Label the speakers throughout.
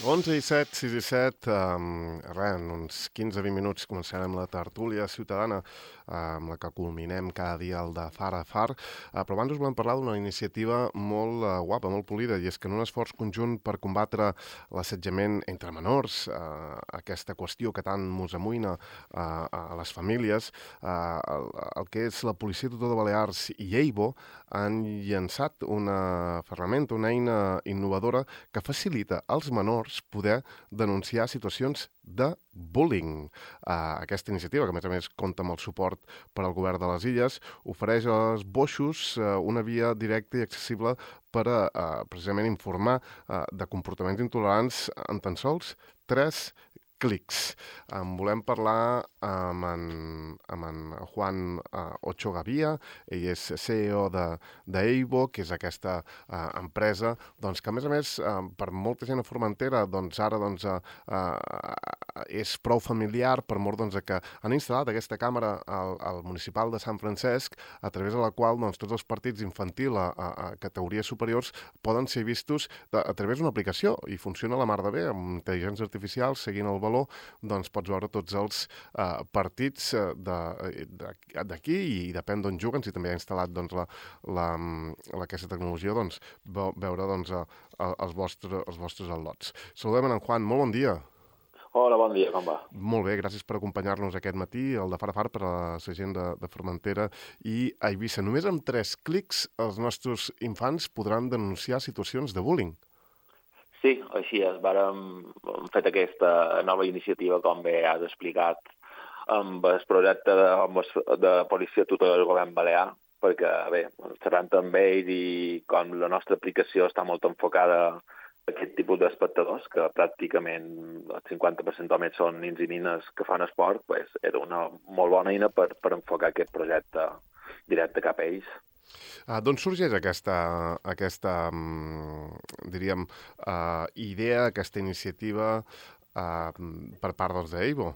Speaker 1: 11:07, 6:07, en uns 15-20 minuts començarem la tertúlia ciutadana amb la que culminem cada dia el de Far a Far, però abans us volem parlar d'una iniciativa molt guapa, molt polida, i és que en un esforç conjunt per combatre l'assetjament entre menors, aquesta qüestió que tant mos amoïna a les famílies, el que és la Policia Tutor de Balears i EIBO han llançat una ferramenta, una eina innovadora que facilita als menors poder denunciar situacions de bullying. Aquesta iniciativa, que a més compta amb el suport per al govern de les Illes, ofereix als boixos una via directa i accessible per precisament informar de comportaments intolerants en tan sols 3 clics. En volem parlar amb en Juan Ocho Gavia. Ell és CEO d'EIBO, que és aquesta empresa doncs, que, a més, per molta gent a Formentera, doncs, ara és prou familiar per mort que han instal·lat aquesta càmera al municipal de Sant Francesc, a través de la qual doncs, tots els partits infantil a categories superiors poden ser vistos a través d'una aplicació, i funciona la mar de bé, amb intel·ligència artificial, seguint el valor, doncs pots veure tots els partits d'aquí, i depèn d'on juguen, si també ha instal·lat doncs, aquesta tecnologia, doncs, veure doncs, els vostres al·lots. Saludem en Juan, molt bon dia.
Speaker 2: Hola, bon dia, com va?
Speaker 1: Molt bé, gràcies per acompanyar-nos aquest matí, el de Far a Far, per a la gent de Formentera i Eivissa. Només amb 3 clics els nostres infants podran denunciar situacions de bullying.
Speaker 2: Sí, així és. Hem fet aquesta nova iniciativa, com bé has explicat, amb el projecte de Policia Tutor del Govern Balear, perquè, bé, xerrant amb ells i com la nostra aplicació està molt enfocada a aquest tipus d'espectadors, que pràcticament el 50% només són nins i nines que fan esport, pues, era una molt bona eina per enfocar aquest projecte directe cap a ells.
Speaker 1: D'on sorgeix aquesta diríem, idea, aquesta iniciativa per part d'EIBO?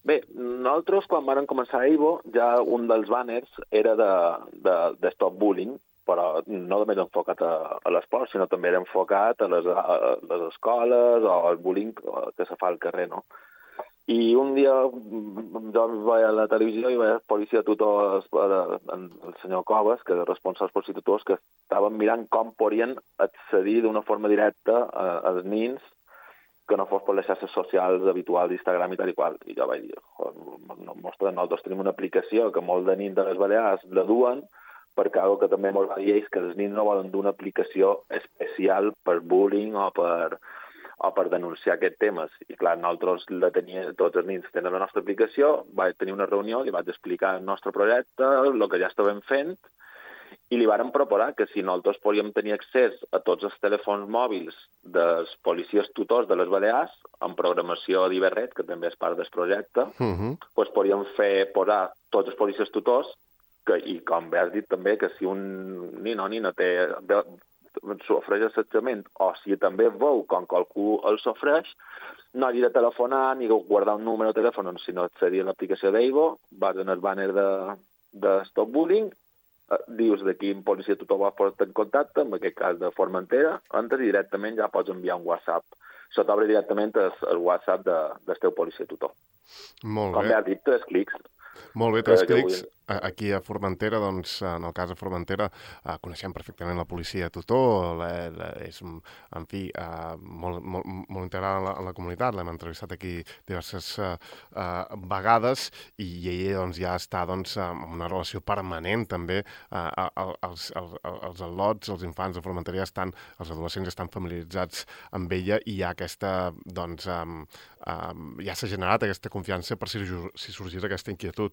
Speaker 2: Bé, nosaltres, quan vam començar a EIBO, ja un dels banners era de Stop Bullying, però no només enfocat a l'esport, sinó també era enfocat a les escoles o al bullying que se fa al carrer, no? I un dia jo vaig a la televisió i vaig a Policia Tutor, el senyor Coves, que és responsable dels Policia Tutors, que estaven mirant com podien accedir d'una forma directa als nins que no fos per les xarxes socials habituals d'Instagram i tal i qual. I jo vaig dir, nosaltres tenim una aplicació que molts de nins de les Balears la duen, perquè algo que també molt va dir és que els nins no volen d'una aplicació especial per bullying o per denunciar aquests temes. I clar, nosaltres tots els nins tenen la nostra aplicació, vaig tenir una reunió, li vaig explicar el nostre projecte, el que ja estàvem fent, i li vàrem proposar que si nosaltres podíem tenir accés a tots els telèfons mòbils dels policies tutors de les Balears, amb programació d'Iberret, que també és part del projecte, doncs podíem posar tots els policies tutors, i com bé has dit també, que si un nin o nina sofreix assetjament, o si també veu com qualcú el sofreix, no hagi de telefonar ni guardar un número de telèfon, sinó accedir a l'aplicació d'EIBO, vas en el banner de Stop Bullying, dius de quin policia tutor vas posar en contacte, en aquest cas de Formentera, entres i directament ja pots enviar un WhatsApp. Se t'obre directament el WhatsApp del teu policia tutor.
Speaker 1: Molt bé.
Speaker 2: Com bé has dit, 3 clics.
Speaker 1: Molt bé, 3 clics. Aquí a Formentera, doncs, en el cas de Formentera, coneixem perfectament la policia tutor, és, en fi, molt integrada en la comunitat, l'hem entrevistat aquí diverses vegades, i ella doncs, ja està doncs, en una relació permanent també, els al·lots, els infants de Formentera ja estan, els adolescents estan familiaritzats amb ella, i hi ha aquesta, doncs, ja s'ha generat aquesta confiança per si sorgís aquesta inquietud.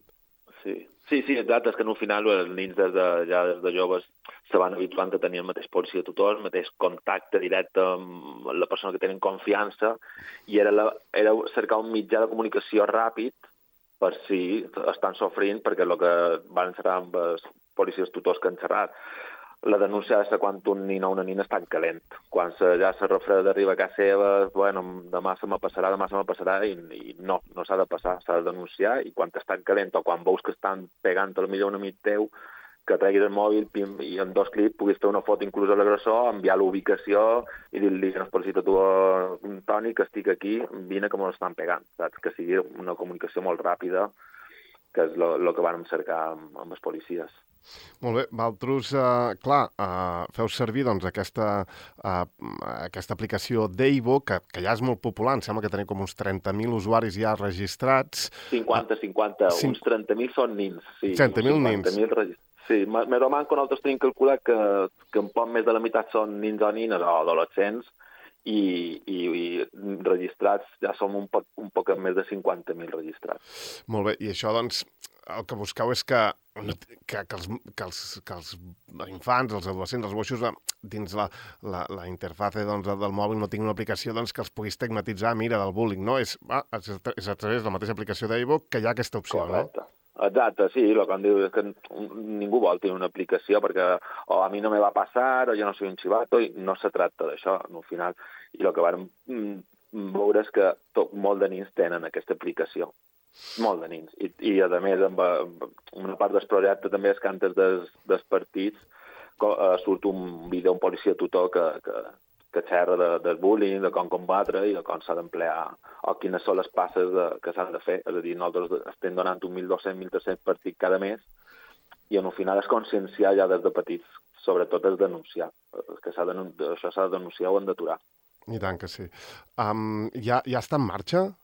Speaker 2: Sí, exacte, és que al final els nins des de joves se van habituant a tenir el mateix policia tutor, el mateix contacte directe amb la persona que tenen confiança, i era cercar un mitjà de comunicació ràpid per si estan sofrint, perquè el que van xerrar amb els policies tutors que han xerrat, la denúncia és quan un nin o una nina està calent. Quan ja se refreda d'arribar a casa seva, bueno, demà se me passarà, i no s'ha de passar, s'ha de denunciar, i quan estan calent o quan veus que estan pegant al millor un amic teu, que treguis el mòbil i en 2 clics puguis fer una foto inclús a l'agressor, enviar l'ubicació i dir-li que no es necessita tu, Toni, que estic aquí, vine que m'ho estan pegant, saps? Que sigui una comunicació molt ràpida, que és el que vam cercar amb els policies.
Speaker 1: Molt bé, vosaltres, feu servir doncs, aquesta aplicació d'Eivo, que ja és molt popular, em sembla que teniu com uns 30.000 usuaris ja registrats.
Speaker 2: 50, uns 30.000 són nins. Sí,
Speaker 1: 30.000 nins.
Speaker 2: Sí, més o menys que nosaltres tenim calculat que un poc més de la meitat són nins o nines o adolescents, i registrats ja som un poc més de 50.000 registrats.
Speaker 1: Molt bé, i això, doncs, el que busqueu és que els infants, els adolescents, els boixos, dins la interfase doncs, del mòbil no tinguin una aplicació doncs, que els pugui estigmatitzar, mira, del bullying, no? És a través de la mateixa aplicació d'Eivo que hi ha aquesta opció,
Speaker 2: correcte.
Speaker 1: No?
Speaker 2: Exacte, sí, el que em diu és que ningú vol tenir una aplicació perquè o a mi no me va passar o jo no soy un chivato, i no se tracta d'això, al final. I el que vam veure és que molt de nins tenen aquesta aplicació. Molt de nins. I a més, amb una part del projecte també és que antes dels partits surt un vídeo, un policia tutor que xerra del bullying, de com combatre i de com s'ha d'emplear o quines són les passes que s'han de fer. És a dir, nosaltres estem donant 1.200, 1.300 partits cada mes i al final és conscienciar ja des de petits, sobretot és denunciar. Que això s'ha de denunciar o han d'aturar.
Speaker 1: I tant que sí. Ja està en marxa?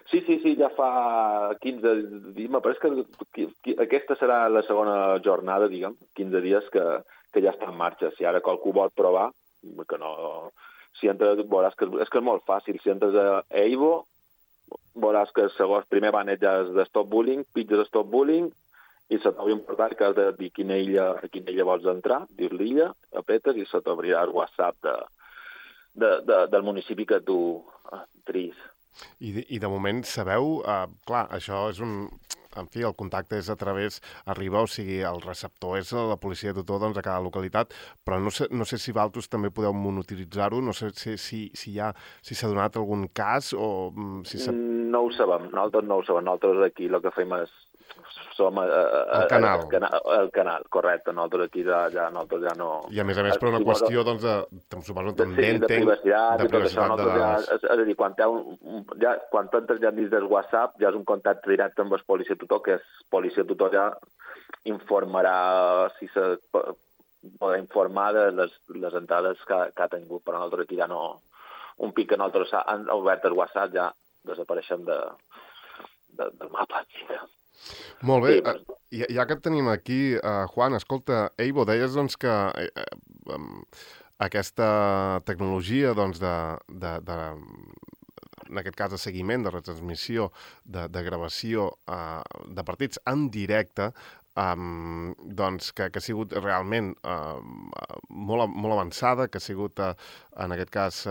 Speaker 2: Sí, ja fa 15 dies, me pareix que aquesta serà la segona jornada, diguem, 15 dies que ja està en marxa. Si ara qualcú vol provar, que no... Si entres, veuràs que és molt fàcil. Si entres a Eivo, veuràs que el primer banner ja és de Stop Bullying, pitges Stop Bullying, i se t'obri un portal que has de dir a quina illa vols entrar, dir l'illa, apretes i se t'obrirà el WhatsApp del municipi que tu tris.
Speaker 1: I de moment sabeu, clar, això és en fi, el contacte és a través, arriba, o sigui, el receptor és la policia tutor doncs, a cada localitat, però no sé si vosaltres també podeu monitoritzar-ho, no sé si s'ha donat algun cas o...
Speaker 2: No ho sabem, nosaltres aquí el que fem és som
Speaker 1: el canal.
Speaker 2: El canal, correcte. Nosaltres aquí ja no...
Speaker 1: I a més, per una qüestió, doncs, suposo, també
Speaker 2: de privacitat de les... És a dir, quan entres ja dins del WhatsApp, ja és un contacte directe amb el policia tutor, que el policia tutor ja informarà si podrà informar de les entrades que ha tingut, però nosaltres aquí ja no... Un pic que nosaltres han obert el WhatsApp ja desapareixem del mapa.
Speaker 1: Molt bé, ja que et tenim aquí, Juan, escolta, Eivo, deies doncs, que aquesta tecnologia doncs, en aquest cas de seguiment, de retransmissió, de gravació de partits en directe, doncs que ha sigut realment molt avançada, que ha sigut, en aquest cas,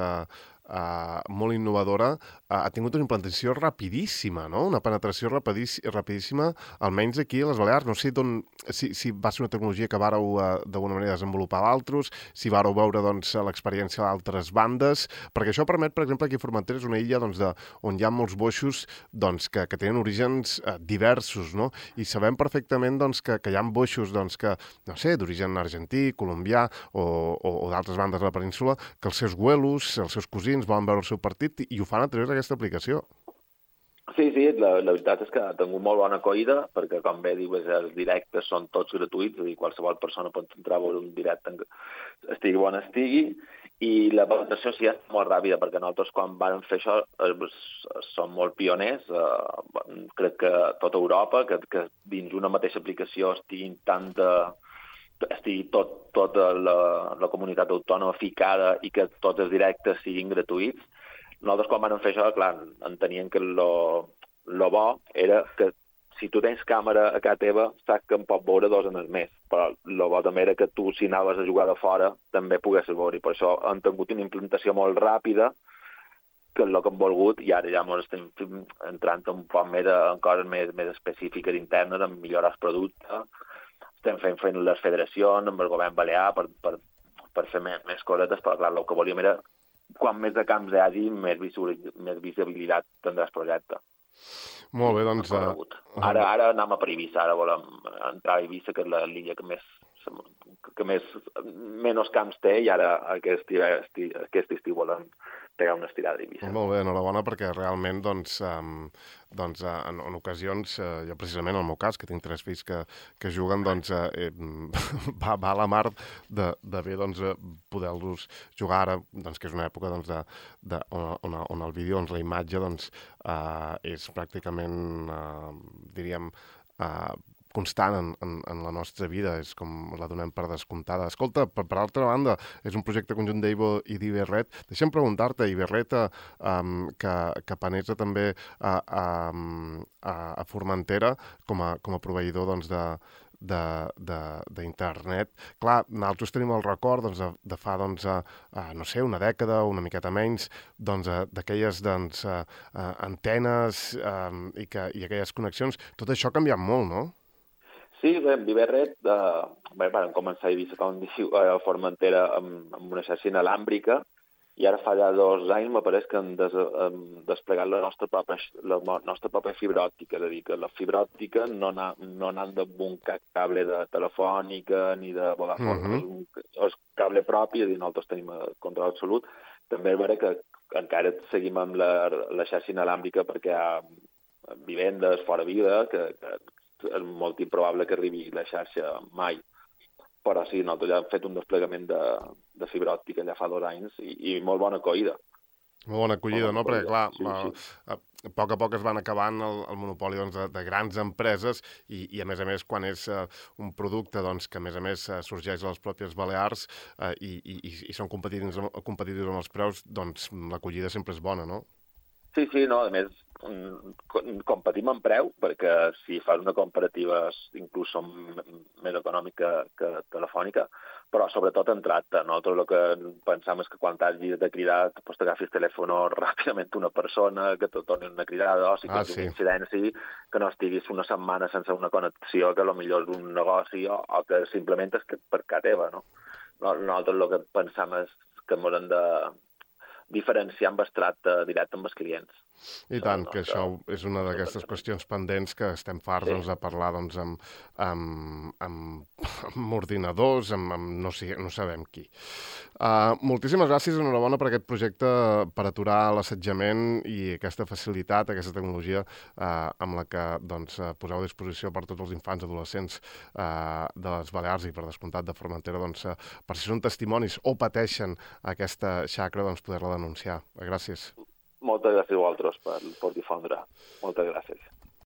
Speaker 1: molt innovadora, ha tingut una implantació rapidíssima, no? Una penetració rapidíssima, almenys aquí a les Balears. No sé si va ser una tecnologia que vàreu d'alguna manera desenvolupar d'altres, si vàreu veure doncs, l'experiència d'altres bandes, perquè això permet, per exemple, aquí a Formentera és una illa doncs, on hi ha molts boixos doncs, que tenen orígens diversos, no? I sabem perfectament doncs, que hi ha boixos doncs, que, no sé, d'origen argentí, colombià o d'altres bandes de la península, que els seus güelos, els seus cosins volen veure el seu partit i ho fan a través d'aquesta aplicació.
Speaker 2: Sí, la veritat és que ha tingut molt bona acollida, perquè com bé dius, els directes són tots gratuïts, és a dir, qualsevol persona pot entrar a veure un directe, estigui on estigui, i la penetració sí és molt ràpida, perquè nosaltres quan vam fer això som molt pioners, crec que tota Europa, que dins una mateixa aplicació estigui tota la comunitat autònoma ficada i que tots els directes siguin gratuïts. Nosaltres quan vam fer això, clar, enteníem que lo bo era que si tu tens càmera a casa teva, saps que en pot veure 2 en el mes, però el bo també era que tu, si anaves a jugar de fora, també poguessis veure, i per això han tingut una implementació molt ràpida, que és el que hem volgut, i ara ja ens estem entrant un poc més en coses més específiques internes, en millorar el producte. Estem fent les federacions amb el govern balear per fer més cosetes, però clar, el que volíem era quan més de camps hi hagi, més visibilitat tindrà el projecte.
Speaker 1: Molt bé, doncs...
Speaker 2: Ara anem a per Eivissa, ara volem entrar a Eivissa, que és l'illa que menys camps té, i ara aquest estiu volem pegar una estirada a Eivissa.
Speaker 1: Molt bé, enhorabona, perquè realment, en ocasions, jo precisament en el meu cas, que tinc 3 fills que juguen, va a la mar de bé poder-los jugar ara, que és una època on el vídeo, la imatge, és pràcticament, diríem, constant en la nostra vida, és com la donem per descomptada. Escolta, per altra banda, és un projecte conjunt d'Eivo i d'Iberret. Deixa'm preguntar-te, Iberret, que penetra també a Formentera com a proveïdor d'internet. Clar, nosaltres tenim el record de fa, no sé, una dècada o una miqueta menys, d'aquelles antenes i aquelles connexions. Tot això ha canviat molt, no?
Speaker 2: Sí, bé, amb Iberret vam començar a Eivissa, com diu, a Formentera amb una xarxa inalàmbrica, i ara fa ja 2 anys m'apareix que hem desplegat la nostra pròpia fibra òptica, és a dir, que la fibra òptica no anant amb un cable de telefònica ni de Vodafone, és cable propi, és a dir, nosaltres tenim control absolut. També és vera que encara seguim amb la xarxa inalàmbrica perquè hi ha vivendes fora vida, que és molt improbable que arribi la xarxa mai. Però sí, nosaltres ja hem fet un desplegament de fibra òptica ja fa 2 anys i molt bona acollida.
Speaker 1: Molt bona acollida, no? Perquè, clar, a poc a poc es van acabant el monopoli de grans empreses i, a més, quan és un producte que, a més, sorgeix a les pròpies Balears i són competitius amb els preus, l'acollida sempre és bona, no?
Speaker 2: Sí, no, a més, competim en preu, perquè si fas una comparativa inclús som més econòmica que telefònica, però sobretot en tracte. Nosaltres el que pensam és que quan t'hagis de cridar t'agafis el telèfon ràpidament una persona, que te torni una cridada, o si tens una incidència, que no estiguis una setmana sense una connexió, que potser és un negoci, o que simplement és per casa teva, no? Nosaltres el que pensam és que ens hem de diferenciar amb el tracte directe amb els clients.
Speaker 1: I tant, que això és una d'aquestes qüestions pendents que estem farts de parlar amb ordinadors, no sabem qui. Moltíssimes gràcies, enhorabona per aquest projecte per aturar l'assetjament i aquesta facilitat, aquesta tecnologia amb la que poseu a disposició per tots els infants i adolescents de les Balears i per descomptat de Formentera, per si són testimonis o pateixen aquesta xacra, poder-la denunciar. Gràcies.
Speaker 2: Moltes gràcies a vosaltres per difondre. Moltes gràcies.